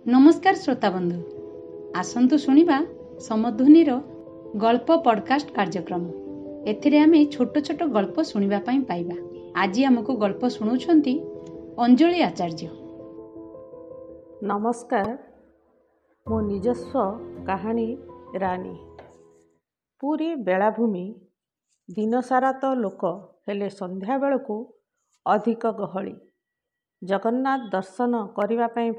ନମସ୍କାର ଶ୍ରୋତାବନ୍ଧୁ, ଆସନ୍ତୁ ଶୁଣିବା ସମଧ୍ୱନିର ଗଳ୍ପ ପଡ଼କାଷ୍ଟ କାର୍ଯ୍ୟକ୍ରମ। ଏଥିରେ ଆମେ ଛୋଟ ଛୋଟ ଗଳ୍ପ ଶୁଣିବା ପାଇଁ ପାଇବା। ଆଜି ଆମକୁ ଗଳ୍ପ ଶୁଣାଉଛନ୍ତି ଅଞ୍ଜଳି ଆଚାର୍ଯ୍ୟ। ନମସ୍କାର। ମୋ ନିଜସ୍ୱ କାହାଣୀ ରାନୀ। ପୁରୀ ବେଳାଭୂମି। ଦିନସାରା ତ ଲୋକ, ହେଲେ ସନ୍ଧ୍ୟାବେଳକୁ ଅଧିକ ଗହଳି। ଜଗନ୍ନାଥ ଦର୍ଶନ କରିବା ପାଇଁ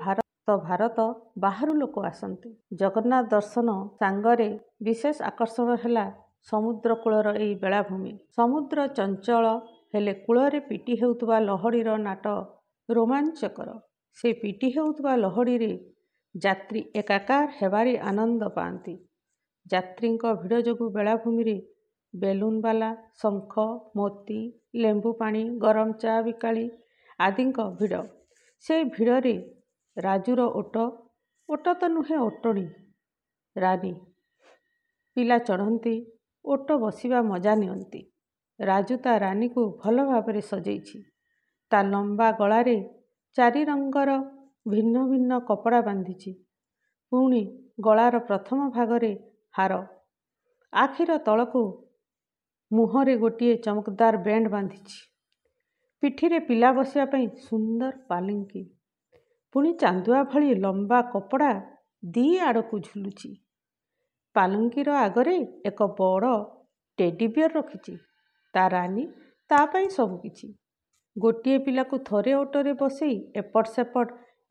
ଭାରତ ବାହାରୁ ଲୋକ ଆସନ୍ତି। ଜଗନ୍ନାଥ ଦର୍ଶନ ସାଙ୍ଗରେ ବିଶେଷ ଆକର୍ଷଣ ହେଲା ସମୁଦ୍ର କୂଳର ଏଇ ବେଳାଭୂମି। ସମୁଦ୍ର ଚଞ୍ଚଳ ହେଲେ କୂଳରେ ପିଟି ହେଉଥିବା ଲହଡ଼ିର ନାଟ ରୋମାଞ୍ଚକର। ସେ ପିଟି ହେଉଥିବା ଲହଡ଼ିରେ ଯାତ୍ରୀ ଏକାକାର ହେବାରେ ଆନନ୍ଦ ପାଆନ୍ତି। ଯାତ୍ରୀଙ୍କ ଭିଡ଼ ଯୋଗୁଁ ବେଳାଭୂମିରେ ବେଲୁନବାଲା, ଶଙ୍ଖ, ମୋତି, ଲେମ୍ବୁ ପାଣି, ଗରମ ଚା ବିକାଳି ଆଦିଙ୍କ ଭିଡ଼। ସେ ଭିଡ଼ରେ ରାଜୁର ଓଟ, ଓଟ ତ ନୁହେଁ ଓଟଣୀ ରାନୀ। ପିଲା ଚଢ଼ନ୍ତି, ଓଟ ବସିବା ମଜା ନିଅନ୍ତି। ରାଜୁ ତା ରାନୀକୁ ଭଲ ଭାବରେ ସଜେଇଛି। ତା ଲମ୍ବା ଗଳାରେ ଚାରି ରଙ୍ଗର ଭିନ୍ନ ଭିନ୍ନ କପଡ଼ା ବାନ୍ଧିଛି। ପୁଣି ଗଳାର ପ୍ରଥମ ଭାଗରେ ହାର, ଆଖିର ତଳକୁ ମୁହଁରେ ଗୋଟିଏ ଚମକଦାର ବ୍ୟାଣ୍ଡ ବାନ୍ଧିଛି। ପିଠିରେ ପିଲା ବସିବା ପାଇଁ ସୁନ୍ଦର ପାଲିଙ୍କି। ପୁଣି ଚାନ୍ଦୁଆ ଭଳି ଲମ୍ବା କପଡ଼ା ଦି ଆଡ଼କୁ ଝୁଲୁଛି। ପାଲଙ୍କିର ଆଗରେ ଏକ ବଡ଼ ଟେଡିବିୟର ରଖିଛି। ତା ରାନୀ ତା ପାଇଁ ସବୁକିଛି। ଗୋଟିଏ ପିଲାକୁ ଥରେ ଓଟରେ ବସେଇ ଏପଟ ସେପଟ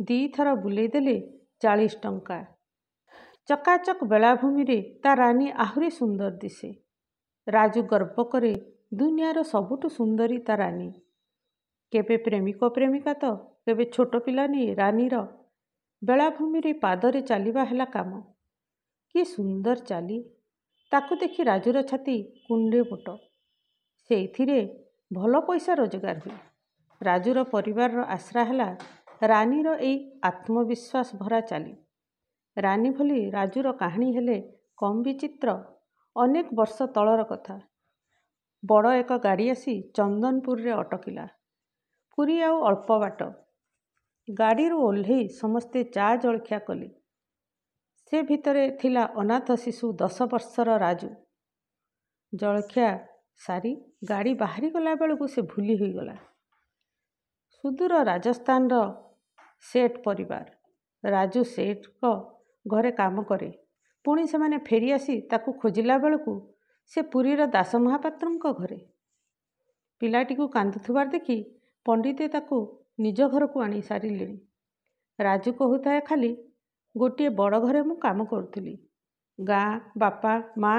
2 ଥର ବୁଲେଇ ଦେଲେ 40 ଟଙ୍କା। ଚକାଚକ ବେଳାଭୂମିରେ ତା ରାନୀ ଆହୁରି ସୁନ୍ଦର ଦିଶେ। ରାଜୁ ଗର୍ବ କରେ, ଦୁନିଆର ସବୁଠୁ ସୁନ୍ଦରୀ ତା ରାନୀ। କେବେ ପ୍ରେମିକ ପ୍ରେମିକା ତ କେବେ ଛୋଟ ପିଲା ନେଇ ରାନୀର ବେଳାଭୂମିରେ ପାଦରେ ଚାଲିବା ହେଲା କାମ। କି ସୁନ୍ଦର ଚାଲି! ତାକୁ ଦେଖି ରାଜୁର ଛାତି କୁଣ୍ଡେ ମୋଟ। ସେଇଥିରେ ଭଲ ପଇସା ରୋଜଗାର ହୁଏ। ରାଜୁର ପରିବାରର ଆଶ୍ରା ହେଲା ରାନୀର ଏଇ ଆତ୍ମବିଶ୍ୱାସ ଭରା ଚାଲି। ରାନୀ ଭଳି ରାଜୁର କାହାଣୀ ହେଲେ କମ୍ ବିଚିତ୍ର? ଅନେକ ବର୍ଷ ତଳର କଥା। ବଡ଼ ଏକ ଗାଡ଼ି ଆସି ଚନ୍ଦନପୁରରେ ଅଟକିଲା। ପୁରୀ ଆଉ ଅଳ୍ପ ବାଟ। ଗାଡ଼ିରୁ ଓହ୍ଲେଇ ସମସ୍ତେ ଚା ଜଳଖିଆ କଲେ। ସେ ଭିତରେ ଥିଲା ଅନାଥ ଶିଶୁ 10 ବର୍ଷର ରାଜୁ। ଜଳଖିଆ ସାରି ଗାଡ଼ି ବାହାରିଗଲା ବେଳକୁ ସେ ଭୁଲି ହୋଇଗଲା। ସୁଦୂର ରାଜସ୍ଥାନର ସେଠ ପରିବାର। ରାଜୁ ସେଠଙ୍କ ଘରେ କାମ କରେ। ପୁଣି ସେମାନେ ଫେରିଆସି ତାକୁ ଖୋଜିଲା ବେଳକୁ ସେ ପୁରୀର ଦାସ ମହାପାତ୍ରଙ୍କ ଘରେ। ପିଲାଟିକୁ କାନ୍ଦୁଥିବାର ଦେଖି ପଣ୍ଡିତେ ତାକୁ ନିଜ ଘରକୁ ଆଣି ସାରିଲେଣି। ରାଜୁ କହୁଥାଏ ଖାଲି, ଗୋଟିଏ ବଡ଼ ଘରେ ମୁଁ କାମ କରୁଥିଲି। ଗାଁ, ବାପା, ମା,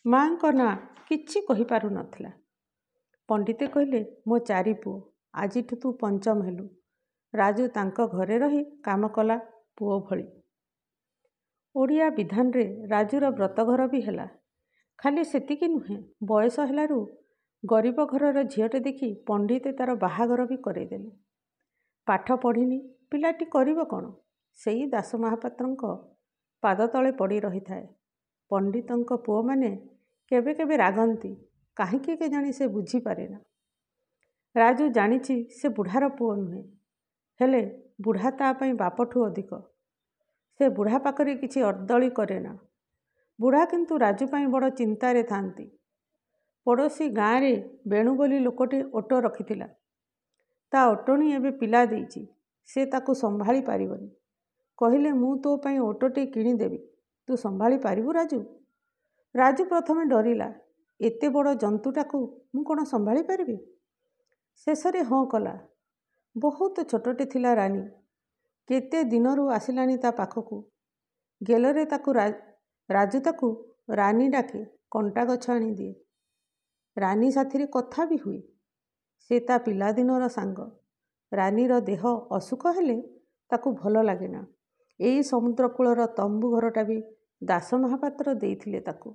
ମାଙ୍କ ନାଁ କିଛି କହିପାରୁ ନଥିଲା। ପଣ୍ଡିତେ କହିଲେ, ମୋ ଚାରି ପୁଅ, ଆଜିଠୁ ତୁ ପଞ୍ଚମ ହେଲୁ। ରାଜୁ ତାଙ୍କ ଘରେ ରହି କାମ କଲା ପୁଅ ଭଳି। ଓଡ଼ିଆ ବିଧାନରେ ରାଜୁର ବ୍ରତଘର ବି ହେଲା। ଖାଲି ସେତିକି ନୁହେଁ, ବୟସ ହେଲାରୁ ଗରିବ ଘରର ଝିଅଟେ ଦେଖି ପଣ୍ଡିତେ ତାର ବାହାଘର ବି କରେଇଦେଲେ। ପାଠ ପଢ଼ିନି ପିଲାଟି, କରିବ କ'ଣ? ସେଇ ଦାସ ମହାପାତ୍ରଙ୍କ ପାଦତଳେ ପଡ଼ି ରହିଥାଏ। ପଣ୍ଡିତଙ୍କ ପୁଅମାନେ କେବେ କେବେ ରାଗନ୍ତି, କାହିଁକି କେଜାଣି ସେ ବୁଝିପାରେନା। ରାଜୁ ଜାଣିଛି ସେ ବୁଢ଼ାର ପୁଅ ନୁହେଁ, ହେଲେ ବୁଢ଼ା ତା ପାଇଁ ବାପଠୁ ଅଧିକ। ସେ ବୁଢ଼ା ପାଖରେ କିଛି ଅର୍ଦ୍ଦଳି କରେନା। ବୁଢ଼ା କିନ୍ତୁ ରାଜୁ ପାଇଁ ବଡ଼ ଚିନ୍ତାରେ ଥାନ୍ତି। ପଡ଼ୋଶୀ ଗାଁରେ ବେଣୁ ବୋଲି ଲୋକଟି ଓଟ ରଖିଥିଲା। ତା ଓଟଣୀ ଏବେ ପିଲା ଦେଇଛି। ସେ ତାକୁ ସମ୍ଭାଳି ପାରିବନି। କହିଲେ, ମୁଁ ତୋ ପାଇଁ ଓଟଟେ କିଣିଦେବି, ତୁ ସମ୍ଭାଳି ପାରିବୁ ରାଜୁ? ରାଜୁ ପ୍ରଥମେ ଡରିଲା। ଏତେ ବଡ଼ ଜନ୍ତୁଟାକୁ ମୁଁ କ'ଣ ସମ୍ଭାଳି ପାରିବି? ଶେଷରେ ହଁ କଲା। ବହୁତ ଛୋଟଟେ ଥିଲା ରାନୀ। କେତେ ଦିନରୁ ଆସିଲାଣି ତା ପାଖକୁ। ଗେଲରେ ତାକୁ ରାଜୁ ତାକୁ ରାନୀ ଡାକେ, କଣ୍ଟା ଗଛ ଆଣିଦିଏ। ରାନୀ ସାଥିରେ କଥା ବି ହୁଏ। ସେ ତା ପିଲାଦିନର ସାଙ୍ଗ। ରାନୀର ଦେହ ଅସୁଖ ହେଲେ ତାକୁ ଭଲ ଲାଗେନା। ଏଇ ସମୁଦ୍ରକୂଳର ତମ୍ବୁ ଘରଟା ବି ଦାସ ମହାପାତ୍ର ଦେଇଥିଲେ ତାକୁ।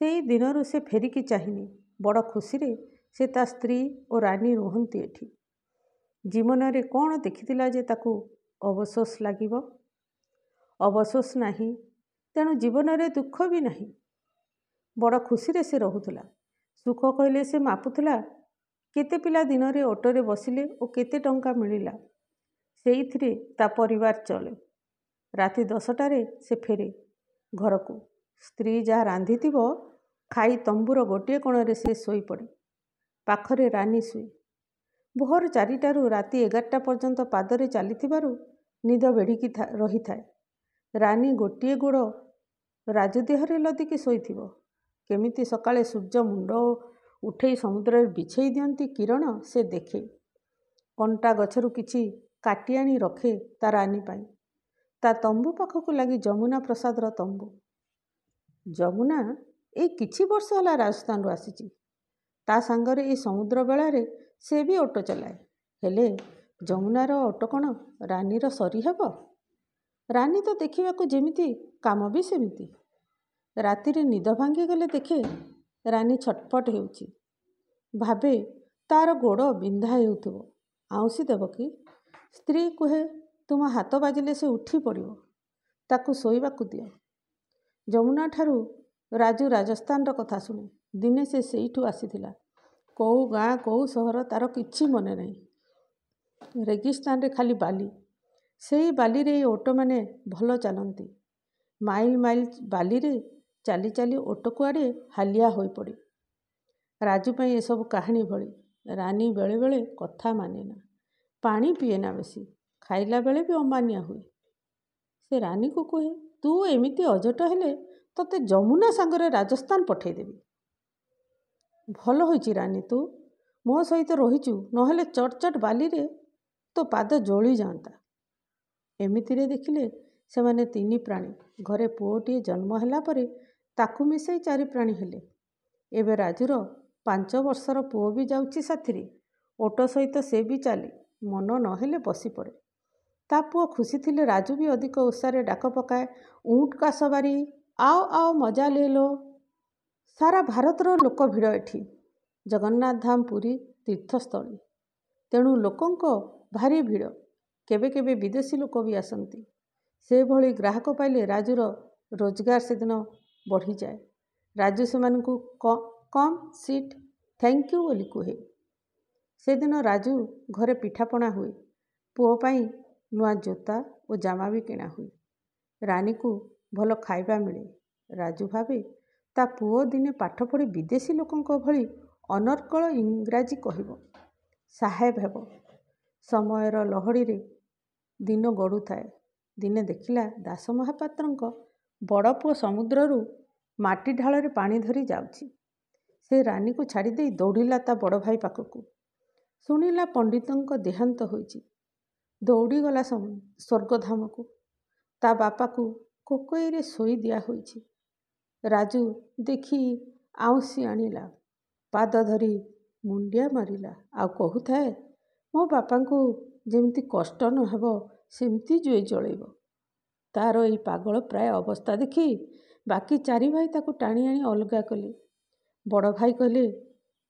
ସେଇ ଦିନରୁ ସେ ଫେରିକି ଚାହିଁନି। ବଡ଼ ଖୁସିରେ ସେ, ତା ସ୍ତ୍ରୀ ଓ ରାନୀ ରୁହନ୍ତି ଏଠି। ଜୀବନରେ କ'ଣ ଦେଖିଥିଲା ଯେ ତାକୁ ଅବସୋସ ଲାଗିବ? ଅବସୋସ ନାହିଁ, ତେଣୁ ଜୀବନରେ ଦୁଃଖ ବି ନାହିଁ। ବଡ଼ ଖୁସିରେ ସେ ରହୁଥିଲା। ସୁଖ କହିଲେ ସେ ମାପୁଥିଲା କେତେ ପିଲା ଦିନରେ ଅଟୋରେ ବସିଲେ ଓ କେତେ ଟଙ୍କା ମିଳିଲା। ସେଇଥିରେ ତା ପରିବାର ଚଳେ। ରାତି 10ଟାରେ ସେ ଫେରେ ଘରକୁ। ସ୍ତ୍ରୀ ଯାହା ରାନ୍ଧିଥିବ ଖାଇ ତମ୍ବୁର ଗୋଟିଏ କୋଣରେ ସେ ଶୋଇପଡ଼େ। ପାଖରେ ରାନୀ ଶୁଏ। ଭୋର 4ଟାରୁ ରାତି 11ଟା ପର୍ଯ୍ୟନ୍ତ ପାଦରେ ଚାଲିଥିବାରୁ ନିଦ ବେଢ଼ିକି ରହିଥାଏ। ରାନୀ ଗୋଟିଏ ଗୋଡ଼ ରାଜୁ ଦେହରେ ଲଦିକି ଶୋଇଥିବ। କେମିତି ସକାଳେ ସୂର୍ଯ୍ୟ ମୁଣ୍ଡ ଉଠେଇ ସମୁଦ୍ରରେ ବିଛେଇ ଦିଅନ୍ତି କିରଣ ସେ ଦେଖେ। କଣ୍ଟା ଗଛରୁ କିଛି କାଟି ଆଣି ରଖେ ତା ରାନୀ ପାଇଁ। ତା ତମ୍ବୁ ପାଖକୁ ଲାଗି ଯମୁନା ପ୍ରସାଦର ତମ୍ବୁ। ଯମୁନା ଏଇ କିଛି ବର୍ଷ ହେଲା ରାଜସ୍ଥାନରୁ ଆସିଛି। ତା ସାଙ୍ଗରେ ଏଇ ସମୁଦ୍ର ବେଳାରେ ସେ ବି ଅଟୋ ଚଲାଏ। ହେଲେ ଯମୁନାର ଅଟୋ କ'ଣ ରାନୀର ସରି ହେବ? ରାନୀ ତ ଦେଖିବାକୁ ଯେମିତି, କାମ ବି ସେମିତି। ରାତିରେ ନିଦ ଭାଙ୍ଗିଗଲେ ଦେଖେ ରାନୀ ଛଟପଟ ହେଉଛି। ଭାବେ ତାର ଗୋଡ଼ ବିନ୍ଧା ହେଉଥିବ, ଆଉଁସି ଦେବ କି? ସ୍ତ୍ରୀ କୁହେ, ତୁମ ହାତ ବାଜିଲେ ସେ ଉଠି ପଡ଼ିବ, ତାକୁ ଶୋଇବାକୁ ଦିଅ। ଯମୁନାଠାରୁ ରାଜୁ ରାଜସ୍ଥାନର କଥା ଶୁଣେ। ଦିନେ ସେ ସେଇଠୁ ଆସିଥିଲା। କେଉଁ ଗାଁ କେଉଁ ସହର ତାର କିଛି ମନେ ନାହିଁ। ରେଗିସ୍ତାନରେ ଖାଲି ବାଲି। ସେଇ ବାଲିରେ ଏଇ ଓଟମାନେ ଭଲ ଚାଲନ୍ତି। ମାଇଲ ମାଇଲ ବାଲିରେ ଚାଲି ଚାଲି ଓଟ କୁଆଡ଼େ ହାଲିଆ ହୋଇପଡ଼େ। ରାଜୁ ପାଇଁ ଏସବୁ କାହାଣୀ ଭଳି। ରାନୀ ବେଳେବେଳେ କଥା ମାନେନା, ପାଣି ପିଏନା ବେଶୀ, ଖାଇଲା ବେଳେ ବି ଅମାନିଆ ହୁଏ। ସେ ରାନୀକୁ କୁହେ, ତୁ ଏମିତି ଅଝଟ ହେଲେ ତୋତେ ଯମୁନା ସାଙ୍ଗରେ ରାଜସ୍ଥାନ ପଠେଇଦେବି। ଭଲ ହୋଇଛି ରାନୀ, ତୁ ମୋ ସହିତ ରହିଛୁ, ନହେଲେ ଚଟ୍ ଚଟ୍ ବାଲିରେ ତୋ ପାଦ ଜଳି ଯାଆନ୍ତା। ଏମିତିରେ ଦେଖିଲେ ସେମାନେ 3 ପ୍ରାଣୀ। ଘରେ ପୁଅଟିଏ ଜନ୍ମ ହେଲା ପରେ ତାକୁ ମିଶାଇ 4 ପ୍ରାଣୀ ହେଲେ। ଏବେ ରାଜୁର 5 ବର୍ଷର ପୁଅ ବି ଯାଉଛି ସାଥିରେ। ଓଟ ସହିତ ସେ ବି ଚାଲେ, ମନ ନହେଲେ ବସିପଡ଼େ। ତା ପୁଅ ଖୁସି ଥିଲେ ରାଜୁ ବି ଅଧିକ ଉତ୍ସାହରେ ଡାକ ପକାଏ, ଉଁଟ୍ କା ସବାରୀ, ଆଓ ଆଓ ମଜା ଲେ ଲୋ। ସାରା ଭାରତର ଲୋକ ଭିଡ଼ ଏଠି। ଜଗନ୍ନାଥ ଧାମ ପୁରୀ ତୀର୍ଥସ୍ଥଳୀ, ତେଣୁ ଲୋକଙ୍କ ଭାରି ଭିଡ଼। କେବେ କେବେ ବିଦେଶୀ ଲୋକ ବି ଆସନ୍ତି। ସେଭଳି ଗ୍ରାହକ ପାଇଲେ ରାଜୁର ରୋଜଗାର ସେଦିନ ବଢ଼ିଯାଏ। ରାଜୁ ସେମାନଙ୍କୁ କମ୍ ସିଟ୍, thank you ବୋଲି କୁହେ। ସେଦିନ ରାଜୁ ଘରେ ପିଠାପଣା ହୁଏ। ପୁଅ ପାଇଁ ନୂଆ ଜୋତା ଓ ଜାମା ବି କିଣା ହୁଏ। ରାନୀକୁ ଭଲ ଖାଇବା ମିଳେ। ରାଜୁ ଭାବେ ତା ପୁଅ ଦିନେ ପାଠ ପଢ଼ି ବିଦେଶୀ ଲୋକଙ୍କ ଭଳି ଅନର୍ଗଳ ଇଂରାଜୀ କହିବ, ସାହେବ ହେବ। ସମୟର ଲହଡ଼ିରେ ଦିନ ଗଡ଼ୁଥାଏ। ଦିନେ ଦେଖିଲା ଦାସ ମହାପାତ୍ରଙ୍କ ବଡ଼ ପୁଅ ସମୁଦ୍ରରୁ ମାଟି ଢାଳରେ ପାଣି ଧରି ଯାଉଛି। ସେ ରାନୀକୁ ଛାଡ଼ିଦେଇ ଦୌଡ଼ିଲା ତା ବଡ଼ ଭାଇ ପାଖକୁ। ଶୁଣିଲା ପଣ୍ଡିତଙ୍କ ଦେହାନ୍ତ ହୋଇଛି। ଦୌଡ଼ିଗଲା ସ୍ୱର୍ଗଧାମକୁ। ତା ବାପାକୁ କୋକଇରେ ଶୋଇ ଦିଆ ହୋଇଛି। ରାଜୁ ଦେଖି ଆଉଁସି ଆଣିଲା, ପାଦ ଧରି ମୁଣ୍ଡିଆ ମାରିଲା, ଆଉ କହୁଥାଏ, ମୋ ବାପାଙ୍କୁ ଯେମିତି କଷ୍ଟ ନ ହେବ ସେମିତି ଜୁଇ ଜଳେଇବ। ତାର ଏଇ ପାଗଳ ପ୍ରାୟ ଅବସ୍ଥା ଦେଖି ବାକି 4 ଭାଇ ତାକୁ ଟାଣି ଆଣି ଅଲଗା କଲେ। ବଡ଼ ଭାଇ କହିଲେ,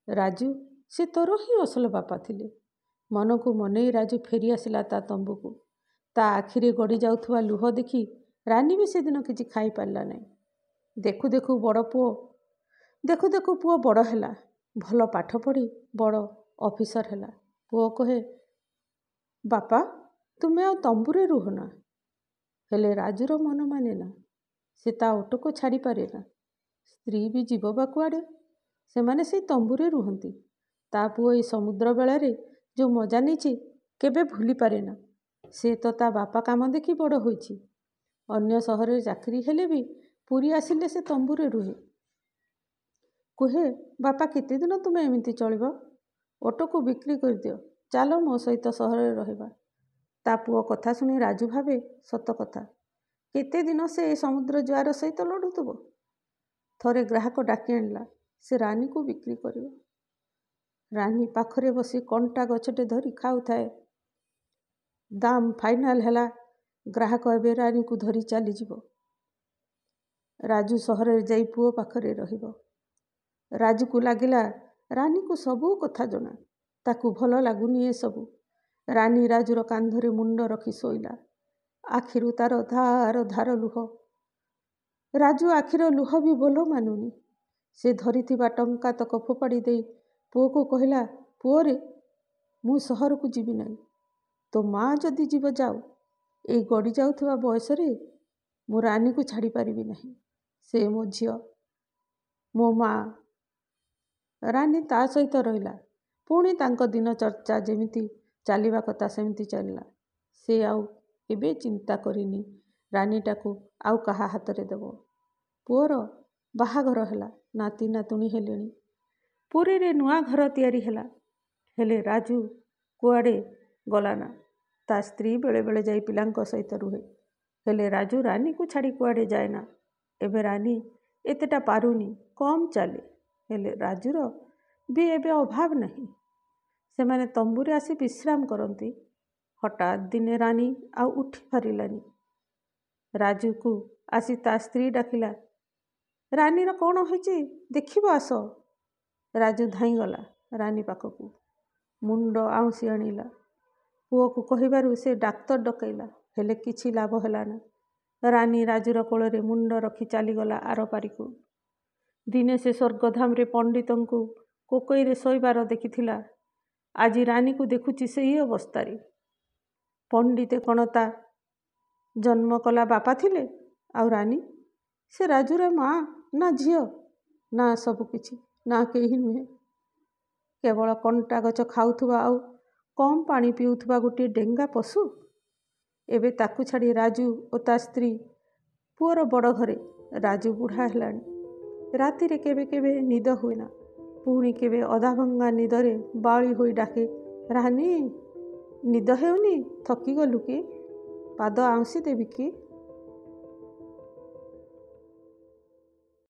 ରାଜୁ, ସେ ତୋର ହିଁ ଅସଲ ବାପା ଥିଲେ। ମନକୁ ମନେଇ ରାଜୁ ଫେରି ଆସିଲା ତା ତମ୍ବୁକୁ। ତା ଆଖିରେ ଗଡ଼ି ଯାଉଥିବା ଲୁହ ଦେଖି ରାନୀ ବି ସେଦିନ କିଛି ଖାଇପାରିଲା ନାହିଁ। ଦେଖୁ ଦେଖୁ ବଡ଼ ପୁଅ ଦେଖୁ ଦେଖୁ ପୁଅ ବଡ଼ ହେଲା। ଭଲ ପାଠ ପଢ଼ି ବଡ଼ ଅଫିସର ହେଲା। ପୁଅ କହେ, ବାପା ତୁମେ ଆଉ ତମ୍ବୁରେ ରୁହ ନା। ହେଲେ ରାଜୁର ମନ ମାନେ ନା। ସେ ତା ଓଟକୁ ଛାଡ଼ିପାରେ ନା। ସ୍ତ୍ରୀ ବି ଯିବ ବା କୁଆଡ଼େ? ସେମାନେ ସେଇ ତମ୍ବୁରେ ରୁହନ୍ତି। ତା ପୁଅ ଏଇ ସମୁଦ୍ର ବେଳାରେ ଯେଉଁ ମଜା ନେଇଛି କେବେ ଭୁଲିପାରେ ନା। ସେ ତ ତା ବାପା କାମ ଦେଖି ବଡ଼ ହୋଇଛି। ଅନ୍ୟ ସହରରେ ଚାକିରି ହେଲେ ବି ପୁରୀ ଆସିଲେ ସେ ତମ୍ବୁରେ ରୁହେ। କୁହେ, ବାପା କେତେଦିନ ତୁମେ ଏମିତି ଚଳିବ? ଓଟକୁ ବିକ୍ରି କରିଦିଅ, ଚାଲ ମୋ ସହିତ ସହରରେ ରହିବା। ତା ପୁଅ କଥା ଶୁଣି ରାଜୁ ଭାବେ ସତ କଥା, କେତେଦିନ ସେ ଏ ସମୁଦ୍ର ଜୁଆର ସହିତ ଲଢ଼ୁଥିବ। ଥରେ ଗ୍ରାହକ ଡାକି ଆଣିଲା, ସେ ରାନୀକୁ ବିକ୍ରି କରିବ। ରାନୀ ପାଖରେ ବସି କଣ୍ଟା ଗଛଟେ ଧରି ଖାଉଥାଏ। ଦାମ ଫାଇନାଲ ହେଲା। ଗ୍ରାହକ ଏବେ ରାନୀକୁ ଧରି ଚାଲିଯିବ। ରାଜୁ ସହରରେ ଯାଇ ପୁଅ ପାଖରେ ରହିବ। ରାଜୁକୁ ଲାଗିଲା ରାନୀକୁ ସବୁ କଥା ଜଣା, ତାକୁ ଭଲ ଲାଗୁନି ଏସବୁ। ରାନୀ ରାଜୁର କାନ୍ଧରେ ମୁଣ୍ଡ ରଖି ଶୋଇଲା। ଆଖିରୁ ତାର ଧାର ଧାର ଲୁହ। ରାଜୁ ଆଖିର ଲୁହ ବି ବୋଲ ମାନୁନି। ସେ ଧରିଥିବା ଟଙ୍କା ତକ ଫୋପାଡ଼ି ଦେଇ ପୁଅକୁ କହିଲା, ପୁଅରେ, ମୁଁ ସହରକୁ ଯିବି ନାହିଁ। ତୋ ମା ଯଦି ଯିବ ଯାଉ, ଏଇ ଗଡ଼ି ଯାଉଥିବା ବୟସରେ ମୁଁ ରାନୀକୁ ଛାଡ଼ିପାରିବି ନାହିଁ। ସେ ମୋ ଝିଅ, ମୋ ମା। ରାନୀ ତା ସହିତ ରହିଲା। ପୁଣି ତାଙ୍କ ଦିନ ଚର୍ଚ୍ଚା ଯେମିତି ଚାଲିବା କଥା ସେମିତି ଚାଲିଲା। ସେ ଆଉ କେବେ ଚିନ୍ତା କରିନି ରାନୀଟାକୁ ଆଉ କାହା ହାତରେ ଦେବ। ପୁଅର ବାହାଘର ହେଲା, ନାତି ନାତୁଣୀ ହେଲେଣି। ପୁରୀରେ ନୂଆ ଘର ତିଆରି ହେଲା। ହେଲେ ରାଜୁ କୁଆଡ଼େ ଗଲା ନା। ତା ସ୍ତ୍ରୀ ବେଳେବେଳେ ଯାଇ ପିଲାଙ୍କ ସହିତ ରୁହେ। ହେଲେ ରାଜୁ ରାନୀକୁ ଛାଡ଼ି କୁଆଡ଼େ ଯାଏ ନା। ଏବେ ରାନୀ ଏତେଟା ପାରୁନି, କମ୍ ଚାଲେ। ହେଲେ ରାଜୁର ବି ଏବେ ଅଭାବ ନାହିଁ। ସେମାନେ ତମ୍ବୁରେ ଆସି ବିଶ୍ରାମ କରନ୍ତି। ହଠାତ୍ ଦିନେ ରାନୀ ଆଉ ଉଠି ପାରିଲାନି। ରାଜୁକୁ ଆସି ତା ସ୍ତ୍ରୀ ଡାକିଲା, ରାନୀର କ'ଣ ହୋଇଛି ଦେଖିବ ଆସ। ରାଜୁ ଧାଇଁଗଲା ରାନୀ ପାଖକୁ, ମୁଣ୍ଡ ଆଉଁସି ଆଣିଲା। ପୁଅକୁ କହିବାରୁ ସେ ଡାକ୍ତର ଡକେଇଲା, ହେଲେ କିଛି ଲାଭ ହେଲା ନା। ରାନୀ ରାଜୁର କୋଳରେ ମୁଣ୍ଡ ରଖି ଚାଲିଗଲା ଆରପାରିକୁ। ଦିନେ ସେ ସ୍ୱର୍ଗଧାମରେ ପଣ୍ଡିତଙ୍କୁ କୋକେଇରେ ଶୋଇବାର ଦେଖିଥିଲା। ଆଜି ରାନୀକୁ ଦେଖୁଛି ସେଇ ଅବସ୍ଥାରେ। ପଣ୍ଡିତେ କ'ଣ ତା ଜନ୍ମ କଲା ବାପା ଥିଲେ? ଆଉ ରାନୀ? ସେ ରାଜୁର ମା ନା ଝିଅ ନା ସବୁକିଛି ନା କେହି ନୁହେଁ। କେବଳ କଣ୍ଟା ଗଛ ଖାଉଥିବା ଆଉ କମ୍ ପାଣି ପିଉଥିବା ଗୋଟିଏ ଡେଙ୍ଗା ପଶୁ। ଏବେ ତାକୁ ଛାଡ଼ି ରାଜୁ ଓ ତା ସ୍ତ୍ରୀ ପୁଅର ବଡ଼ ଘରେ। ରାଜୁ ବୁଢ଼ା ହେଲାଣି। ରାତିରେ କେବେ କେବେ ନିଦ ହୁଏନା। ପୁଣି କେବେ ଅଧାଭଙ୍ଗା ନିଦରେ ବାଉଳି ହୋଇ ଡାକେ, ରାନୀ, ନିଦ ହେଉନି? ଥକିଗଲୁ କି? ପାଦ ଆଉଁସି ଦେବି କି?